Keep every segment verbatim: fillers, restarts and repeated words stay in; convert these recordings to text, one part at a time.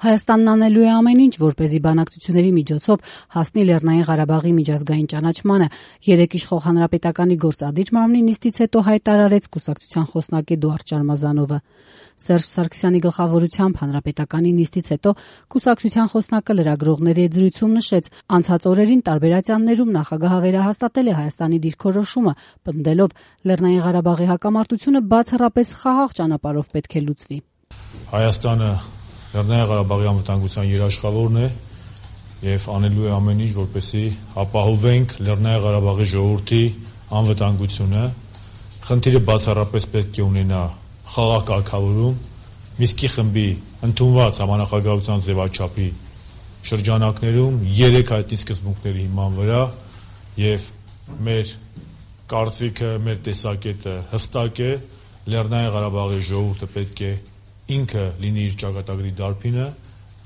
Հայաստանն անելու է ամեն ինչ, որպեսզի բանակցությունների միջոցով հասնի Լեռնային Ղարաբաղի միջազգային ճանաչմանը, երեկ իշխող հանրապետականի գործադիր մարմնի նիստից հետո հայտարարեց կուսակցության խոսնակ Էդուարդ Շարմազանովը։ Սերժ Սարգսյանի գլխավորությամբ հանրապետականի նիստից հետո կուսակցության խոսնակը լրագրողների հետ զրույցում նշեց, անցած օրերին տարբեր ատյաններում նախագահը վերահաստատել է Հայաստանի դիրքորոշումը, պնդելով Լեռնային Ղարաբաղի հակամարտությունը բացառապես խաղաղ ճանապարհով պետք է լուծվի։ Հայաստանը Լեռնային Ղարաբաղի անվտանգության երաշխավորն է եւ անելու է ամեն ինչ, որպեսզի ապահովենք Լեռնային Ղարաբաղի ժողովրդի անվտանգությունը։ Խնդիրը բացառապես պետք է ունենա խաղաղ կարգավորում, Միսկի խմբի ընդունված համանախագահության ձևաչափի շրջանակներում երեք հայտնի սկզբունքների հիման վրա եւ մեր կարծիքը, մեր տեսակետը հստակ է, Լեռնային Ղարաբաղի ժողովուրդը պետք է ինքը լինի իր ճակատագրի դարբինը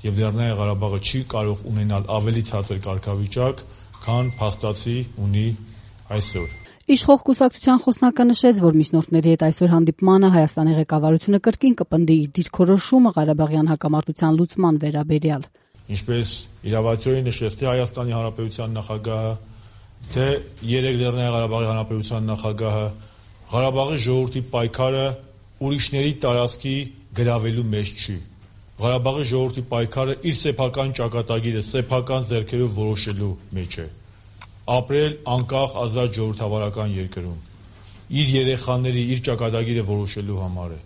եւ Լեռնային Ղարաբաղը չի կարող ունենալ ավելի ցածր կարգավիճակ, քան փաստացի ունի այսօր։ Իշխող կուսակցության խոսնակը նշեց, որ միջնորդների հետ այսօր հանդիպմանը Հայաստանի ղեկավարությունը կրկին կպնդի իր դիրքորոշումը Ղարաբաղյան հակամարտության լուծման վերաբերյալ։ Ինչպես իրավացիորեն նշեց թե Հայաստանի Հանրապետության նախագահը, թե երեք Լեռնային Ղարաբաղի Հանրապետության նախագահը, Ղարաբաղի ժողովրդի պայքարը ուրիշների տարածքի գրավելու մեջ չի։ Ղարաբաղի ժողովրդի պայքարը իր սեփական ճակատագիրը սեփական ձեռքերով որոշելու մեջ է։ Ապրել անկախ ազատ ժողովրդավարական երկրում, իր երեխաների, իր ճակատագիրը որոշելու համար է։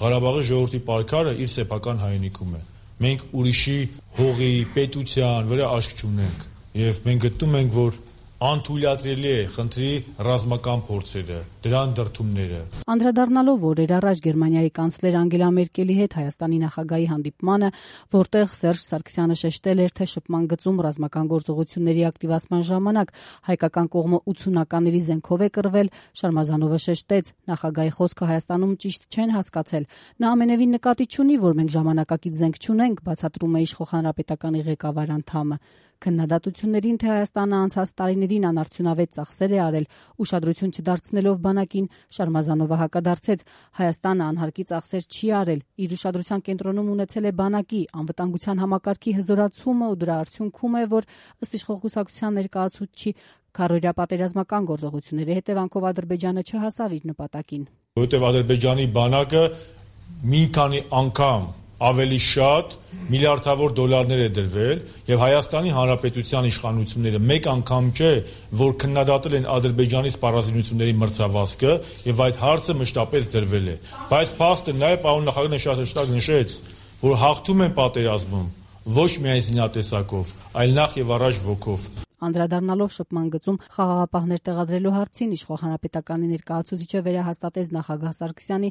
Ղարաբաղի ժողովրդի պայքարը իր սեփական հայրենիքում է։ Մենք ուրիշի հողի, պետության վրա աշկ չունենք եւ մենք գտնում ենք, որ անթույլատրելի է խնդրի ռազմական փորձերը, դրան դրդումները։ Անդրադառնալով օրեր առաջ Գերմանիայի կանցլեր Անգելա Մերկելի հետ Հայաստանի նախագահի հանդիպմանը, որտեղ Սերժ Սարգսյանը շեշտել էր, թե շփման գծում ռազմական գործողությունների ակտիվացման ժամանակ հայկական կողմը ութսունականների զենքով է կռվել, Շարմազանովը շեշտեց, նախագահի խոսքը Հայաստանում ճիշտ չեն հասկացել։ Նա ամենևին նկատի չունի, որ մենք ժամանակակից զենք չունենք, բացատրում է իշխող հանրապետականի ղեկավար անդամը։ Քննադատություններին, թե Հայաստանը անցած տարիներին անարդյունավետ ծախսեր է արել, ուշադրություն չդարձնելով բանակին, Շարմազանովը հակադարձեց, Հայաստանը անհարկի ծախսեր չի արել, իր ուշադրության կենտրոնում ունեցել է բանակի անվտանգության համակարգի հզորացումը ու դրա արդյունքում է, որ ըստ իշխող կուսակցության ներկայացուցչի քառօրյա պատերազմական գործողությունների հետևանքով Ադրբեջանը չհասավ իր նպատակին։ Որովհետև Ադրբեջանի բանակը մի քանի անգամ ավելի շատ միլիարդավոր դոլարներ է դրվել եւ Հայաստանի Հանրապետության իշխանությունները մեկ անգամ չէ, որ քննադատել են Ադրբեջանի սպառազինությունների մրցավազքը եւ այդ հարցը մշտապես դրվել է։ Բայց փաստը նաեւ պարոն նախագահը շատ հստակ նշեց, որ հաղթում են պատերազմում ոչ միայն զինատեսակով, այլ նախ եւ առաջ ոգով։ Անդրադառնալով շփման գծում խաղաղապահներ տեղադրելու հարցին, իշխող հանրապետականի ներկայացուցիչը վերահաստատեց նախագահ Սարգսյանի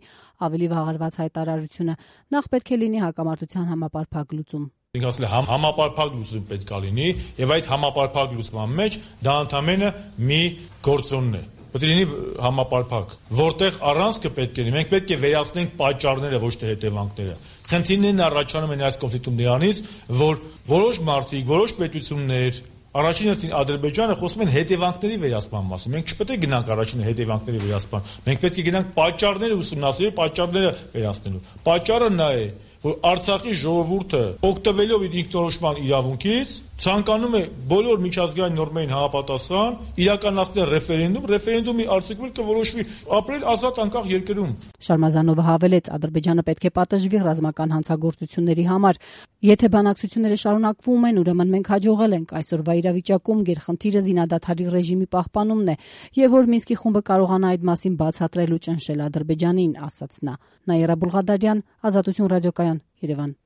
ավելի վաղարված հայտարարությունը։ Նախ պետք է լինի հակամարտության համապարփակ լուծում։ Ինք ասել է համ, համապարփակ լուծում պետք է լինի եւ այդ համապարփակ լուծման մեջ դա ընդամենը մի գործոն է։ Պետք է լինի համապարփակ, որտեղ առանցքը պետք է լինի։ Մենք պետք է վերացնենք պատճառները, ոչ թե հետևանքները։ Խնդիրներն առաջանում են այս կոնֆլիկտում նրանից, որ որոշ մարդիկ, որոշ պետություններ Առաջին հերթին Ադրբեջանը խոսում են հետևանքների վերացման մասին։ Մենք չպետք է գնանք առաջին հետևանքների վերացման։ Մենք պետք է գնանք պատճառները ուսումնասիրել, պատճառները վերացնելու։ Պատճառը նա է, որ Արցախի ժողովուրդը օգտվելով իր ինքնորոշման իրավունքից ցանկանում է բոլոր միջազգային նորմերին համապատասխան իրականացնել ռեֆերենդում, ռեֆերենդումի արդյունքում կորոշվի ապրել ազատ անկախ երկրում։ Շարմազանովը հավելեց, Ադրբեջանը պետք է պատժվի ռազմական հանցագործությունների համար։ Եթե բանակցությունները շարունակվում են, ուրեմն մենք հաջողել ենք այսօրվա իրավիճակում գերխնդիրը զինադադարի ռեժիմի պահպանումն է, եւ որ Մինսկի խումբը կարողանա այդ մասին բացատրել ու ճնշել Ադրբեջանին, ասաց նա։ Նաիրա Բուլղադարյան, Ազատություն ռադիոկայան, Երևան։